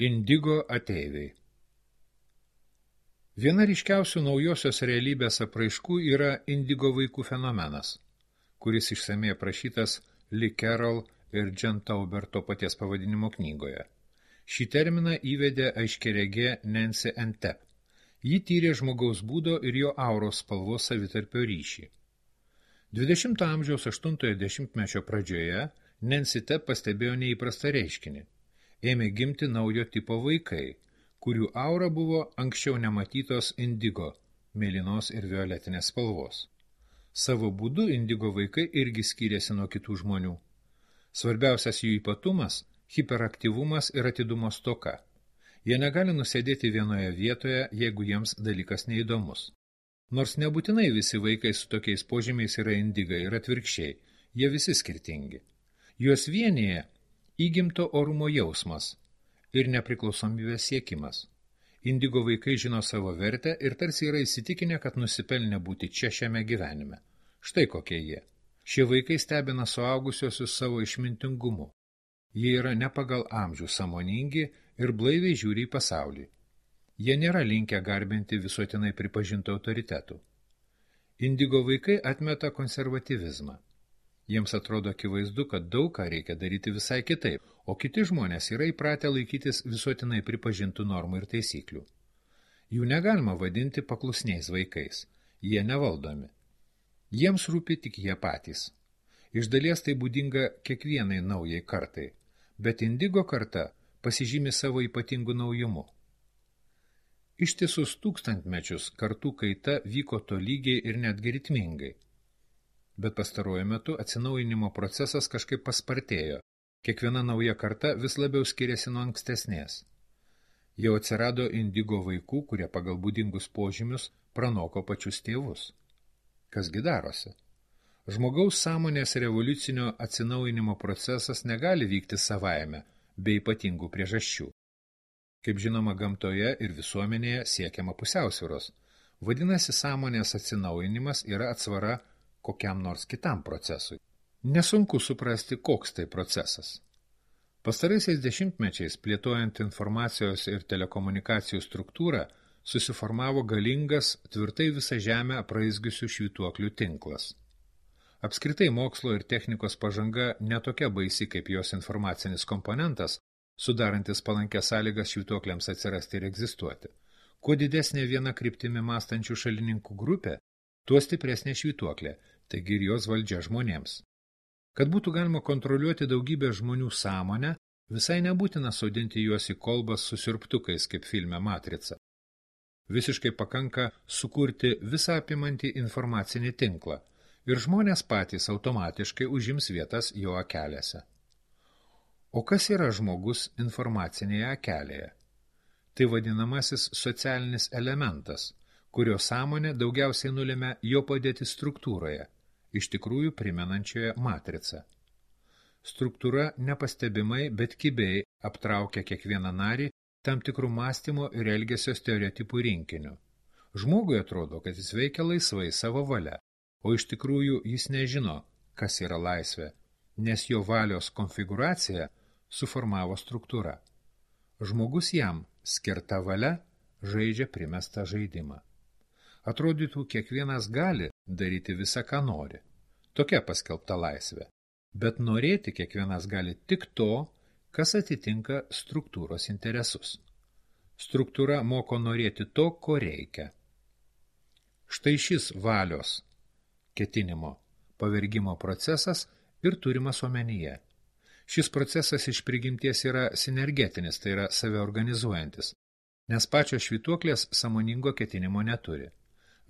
Indigo ateiviai. Viena ryškiausių naujosios realybės apraiškų yra indigo vaikų fenomenas, kuris išsamei aprašytas Lee Carroll ir Jen Tauber to paties pavadinimo knygoje. Šį terminą įvedė aiškiaregė Nancy Entep. Ji tyrė žmogaus būdo ir jo auros spalvos savitarpio ryšį. 20 amžiaus 8-ojo dešimtmečio pradžioje Nancy Entep pastebėjo neįprastą reiškinį. Ėmė gimti naujo tipo vaikai, kurių aura buvo anksčiau nematytos indigo, mėlynos ir violetinės spalvos. Savo būdu indigo vaikai irgi skyrėsi nuo kitų žmonių. Svarbiausias jų ypatumas – hiperaktyvumas ir atidumo stoka. Jie negali nusėdėti vienoje vietoje, jeigu jiems dalykas neįdomus. Nors nebūtinai visi vaikai su tokiais požymiais yra indigai ir atvirkščiai, jie visi skirtingi. Juos vienyje įgimto orumo jausmas ir nepriklausomybės siekimas. Indigo vaikai žino savo vertę ir tarsi yra įsitikinę, kad nusipelnė būti čia šiame gyvenime. Štai kokie jie. Šie vaikai stebina suaugusiosius savo išmintingumu. Jie yra ne pagal amžių sąmoningi ir blaiviai žiūri į pasaulį. Jie nėra linkę garbinti visuotinai pripažintų autoritetų. Indigo vaikai atmeta konservatyvizmą. Jiems atrodo akivaizdu, kad daug ką reikia daryti visai kitaip, o kiti žmonės yra įpratę laikytis visuotinai pripažintų normų ir taisyklių. Jų negalima vadinti paklusniais vaikais, jie nevaldomi. Jiems rūpi tik jie patys. Iš dalies tai būdinga kiekvienai naujai kartai, bet indigo karta pasižymi savo ypatingų naujumu. Ištisus tūkstantmečius kartų kaita vyko tolygiai ir netgi ritmingai. Bet pastaruoju metu atsinaujinimo procesas kažkaip paspartėjo. Kiekviena nauja karta vis labiau skiriasi nuo ankstesnės. Jau atsirado indigo vaikų, kurie pagal būdingus požymius pranoko pačius tėvus. Kasgi darosi? Žmogaus sąmonės revoliucinio atsinaujinimo procesas negali vykti savaime, be ypatingų priežasčių. Kaip žinoma, gamtoje ir visuomenėje siekiama pusiausvyros. Vadinasi, sąmonės atsinaujinimas yra atsvara kokiam nors kitam procesui. Nesunku suprasti, koks tai procesas. Pastaraisiais dešimtmečiais, plėtojant informacijos ir telekomunikacijų struktūrą, susiformavo galingas, tvirtai visą žemę apraizgiusių švytuoklių tinklas. Apskritai mokslo ir technikos pažanga netokia baisi kaip jos informacinis komponentas, sudarantis palankias sąlygas švytuokliams atsirasti ir egzistuoti. Kuo didesnė viena kryptimi mąstančių šalininkų grupė, tuo stipresnė švytuoklė, taigi ir jos valdžia žmonėms. Kad būtų galima kontroliuoti daugybę žmonių sąmonę, visai nebūtina sodinti juos į kolbas su siurbtukais, kaip filme Matrica. Visiškai pakanka sukurti visą apimantį informacinį tinklą ir žmonės patys automatiškai užims vietas jo akelėse. O kas yra žmogus informacinėje akelėje? Tai vadinamasis socialinis elementas, kurio sąmonė daugiausiai nulėmė jo padėti struktūroje, iš tikrųjų primenančioje matricą. Struktūra nepastebimai, bet kibiai aptraukia kiekvieną narį tam tikrų mąstymo ir elgesio stereotipų rinkiniu. Žmogui atrodo, kad jis veikia laisvai savo valia, o iš tikrųjų jis nežino, kas yra laisvė, nes jo valios konfiguraciją suformavo struktūra. Žmogus jam, skirta valia, žaidžia primestą žaidimą. Atrodytų, kiekvienas gali daryti visą, ką nori. Tokia paskelbta laisvė. Bet norėti kiekvienas gali tik to, kas atitinka struktūros interesus. Struktūra moko norėti to, ko reikia. Štai šis valios ketinimo pavergimo procesas ir turimas omenyje. Šis procesas iš prigimties yra sinergetinis, tai yra saviorganizuojantis, nes pačios švytuoklės sąmoningo ketinimo neturi.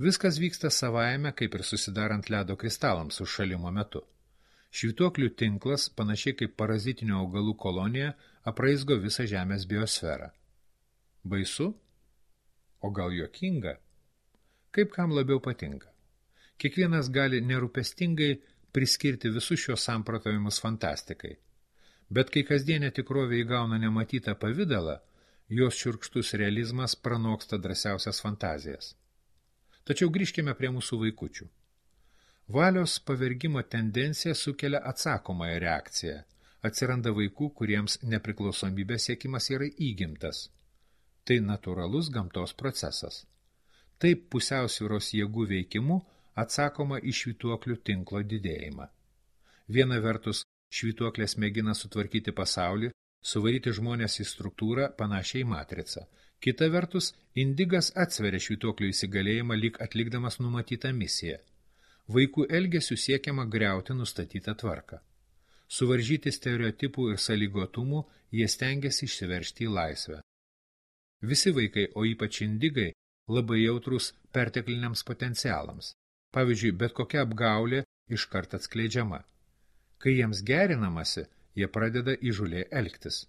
Viskas vyksta savaime, kaip ir susidarant ledo kristalams užšalimo metu. Švytuoklių tinklas, panašiai kaip parazitinio augalų kolonija, apraizgo visą Žemės biosferą. Baisu? O gal juokinga? Kaip kam labiau patinka? Kiekvienas gali nerūpestingai priskirti visus šios samprotavimus fantastikai. Bet kai kasdienė tikrovė įgauna nematytą pavidalą, jos šiurkštus realizmas pranoksta drąsiausias fantazijas. Tačiau grįžkime prie mūsų vaikučių. Valios pavergimo tendencija sukelia atsakomąją reakciją, atsiranda vaikų, kuriems nepriklausomybės siekimas yra įgimtas. Tai natūralus gamtos procesas. Taip pusiausvyros jėgų veikimu atsakoma į švytuoklių tinklo didėjimą. Viena vertus, švytuoklės mėgina sutvarkyti pasaulį, suvaryti žmonės į struktūrą panašiai į matricą. Kita vertus, indigas atsveria švytuoklių įsigalėjimą lyg atlikdamas numatytą misiją. Vaikų elgesių siekiama griauti nustatytą tvarką. Suvaržyti stereotipų ir sąlygotumų jie stengiasi išsiveržti į laisvę. Visi vaikai, o ypač indigai, labai jautrūs pertekliniams potencialams. Pavyzdžiui, bet kokia apgaulė iškart atskleidžiama. Kai jiems gerinamasi, jie pradeda įžūliai elgtis.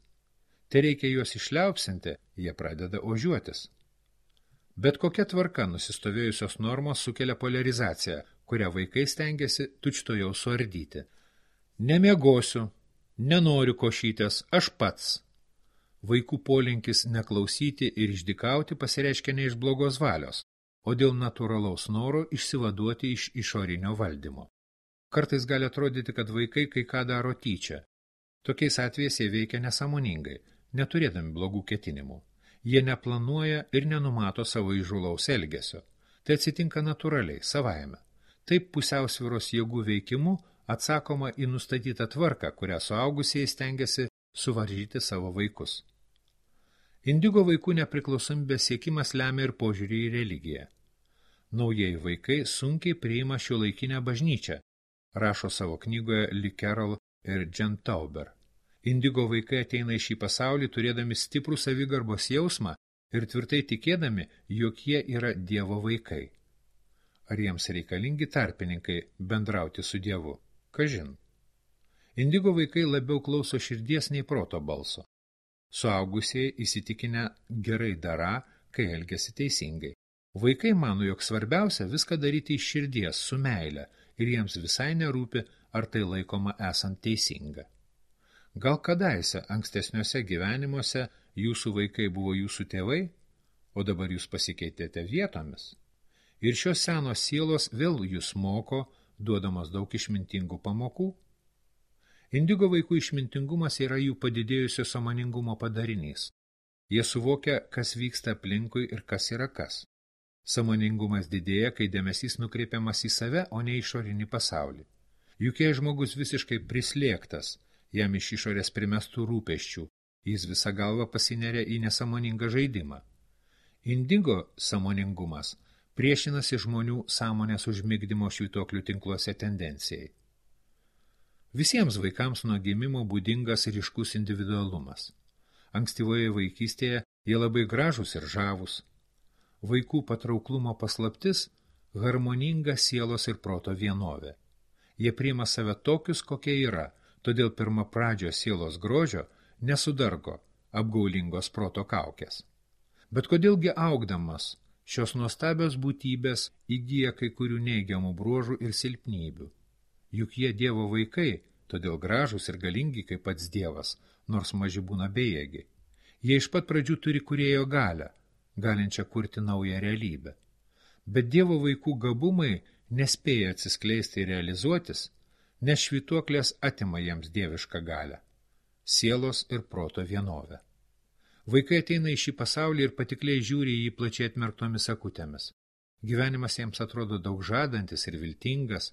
Te reikia juos išliaupsinti, jie pradeda ožiuotis. Bet kokia tvarka nusistovėjusios normos sukelia polarizaciją, kurią vaikai stengiasi tučtuojau suardyti. Nemiegosiu, nenoriu košytės, aš pats. Vaikų polinkis neklausyti ir išdykauti pasireiškia ne iš blogos valios, o dėl natūralaus noro išsivaduoti iš išorinio valdymo. Kartais gali atrodyti, kad vaikai kai ką daro tyčia. Tokiais atvejais jie veikia nesąmoningai, neturėdami blogų ketinimų. Jie neplanuoja ir nenumato savo įžūlaus elgesio. Tai atsitinka natūraliai, savaime. Taip pusiausvyros jėgų veikimu atsakoma į nustatytą tvarką, kurią suaugusieji stengiasi suvaržyti savo vaikus. Indigo vaikų nepriklausomybės siekimas lemia ir požiūrį į religiją. Naujieji vaikai sunkiai priima šiuolaikinę bažnyčią, rašo savo knygoje Lee Carroll ir Jen Tauber. Indigo vaikai ateina į šį pasaulį turėdami stiprų savigarbos jausmą ir tvirtai tikėdami, jog jie yra Dievo vaikai. Ar jiems reikalingi tarpininkai bendrauti su Dievu? Kažin. Indigo vaikai labiau klauso širdies nei proto balso. Suaugusieji įsitikinę gerai darą, kai elgiasi teisingai. Vaikai mano, jog svarbiausia viską daryti iš širdies, su meile, ir jiems visai nerūpi, ar tai laikoma esant teisinga. Gal kadaise ankstesniuose gyvenimuose jūsų vaikai buvo jūsų tėvai, o dabar jūs pasikeitėte vietomis. Ir šios senos sielos vėl jūs moko, duodamos daug išmintingų pamokų. Indigo vaikų išmintingumas yra jų padidėjusio sąmoningumo padarinys. Jie suvokia, kas vyksta aplinkui ir kas yra kas. Sąmoningumas didėja, kai dėmesys nukreipiamas į save, o ne išorinį pasaulį. Juk jei žmogus visiškai prislėgtas, jam iš išorės primestų rūpesčių, jis visą galvą pasineria į nesąmoningą žaidimą. Indigo sąmoningumas priešinasi žmonių sąmonės užmigdymo švytuoklių tinkluose tendencijai. Visiems vaikams nuo gimimo būdingas ryškus individualumas. Ankstyvoje vaikystėje jie labai gražūs ir žavūs. Vaikų patrauklumo paslaptis – harmoninga sielos ir proto vienovė. Jie priima save tokius, kokie yra, todėl pirmapradžio sielos grožio nesudargo apgaulingos proto kaukės. Bet kodėlgi augdamas šios nuostabios būtybės įgyja kai kurių neigiamų bruožų ir silpnybių? Juk jie Dievo vaikai, todėl gražūs ir galingi kaip pats Dievas, nors maži būna bejėgiai. Jie iš pat pradžių turi kūrėjo galią, galinčią kurti naują realybę. Bet Dievo vaikų gabumai nespėja atsiskleisti ir realizuotis, nes švytuoklės atima jiems dievišką galią, sielos ir proto vienovę. Vaikai ateina į šį pasaulį ir patikliai žiūri į jį plačiai atmerktomis akutėmis. Gyvenimas jiems atrodo daug žadantis ir viltingas,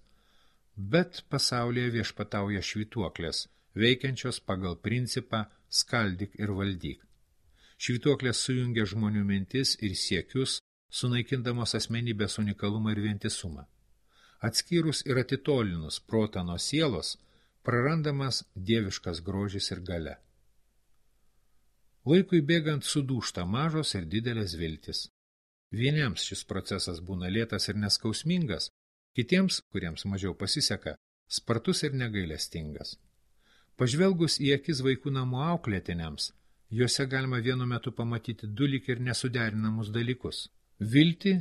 bet pasaulyje viešpatauja švytuoklės, veikiančios pagal principą skaldyk ir valdyk. Švytuoklės sujungia žmonių mintis ir siekius, sunaikindamos asmenybės unikalumą ir vientisumą. Atskyrus ir atitolinus protą nuo sielos, prarandamas dieviškas grožis ir galia. Laikui bėgant sudūžta mažos ir didelės viltis. Vieniems šis procesas būna lėtas ir neskausmingas, kitiems, kuriems mažiau pasiseka, spartus ir negailestingas. Pažvelgus į akis vaikų namų auklėtiniams, juose galima vienu metu pamatyti du lyg ir nesuderinamus dalykus – viltį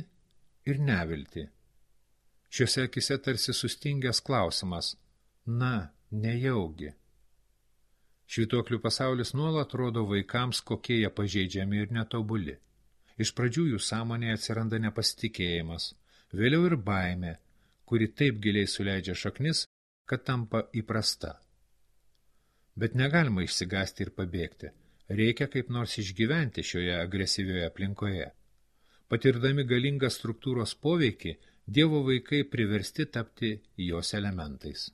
ir neviltį. Šiuose akise tarsi sustingęs klausimas – na, nejaugi. Švytuoklių pasaulis nuolat rodo vaikams, kokie jie pažeidžiami ir netobuli. Iš pradžių jų sąmonėje atsiranda nepasitikėjimas, vėliau ir baimė, kuri taip giliai suleidžia šaknis, kad tampa įprasta. Bet negalima išsigąsti ir pabėgti. Reikia kaip nors išgyventi šioje agresyvioje aplinkoje. Patirdami galingą struktūros poveikį, Dievo vaikai priversti tapti jos elementais.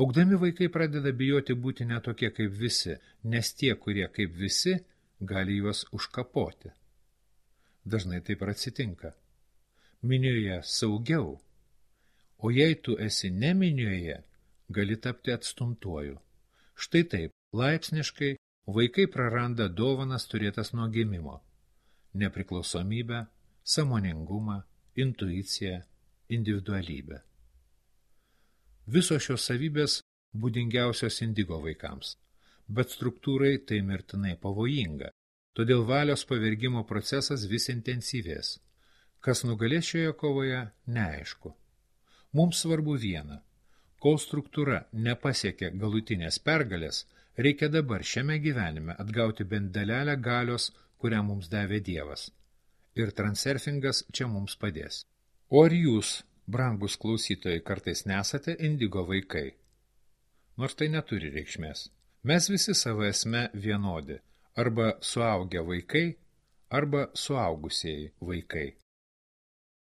Augdami vaikai pradeda bijoti būti netokie kaip visi, nes tie, kurie kaip visi, gali juos užkapoti. Dažnai taip ir atsitinka. Minioje saugiau, o jei tu esi ne minioje, gali tapti atstumtuoju. Štai taip, laipsniškai vaikai praranda dovanas turėtas nuo gimimo – nepriklausomybę, sąmoningumą, intuiciją, individualybę. Visos šios savybės būdingiausios indigo vaikams, bet struktūrai tai mirtinai pavojinga, todėl valios pavergimo procesas vis intensyvės. Kas nugalės šioje kovoje, neaišku. Mums svarbu viena. Kol struktūra nepasiekia galutinės pergalės, reikia dabar šiame gyvenime atgauti bent dalelę galios, kurią mums davė Dievas. Ir transurfingas čia mums padės. O ar jūs, brangus klausytojai, kartais nesate indigo vaikai? Nors tai neturi reikšmės. Mes visi savo esme vienodi, arba suaugę vaikai, arba suaugusieji vaikai.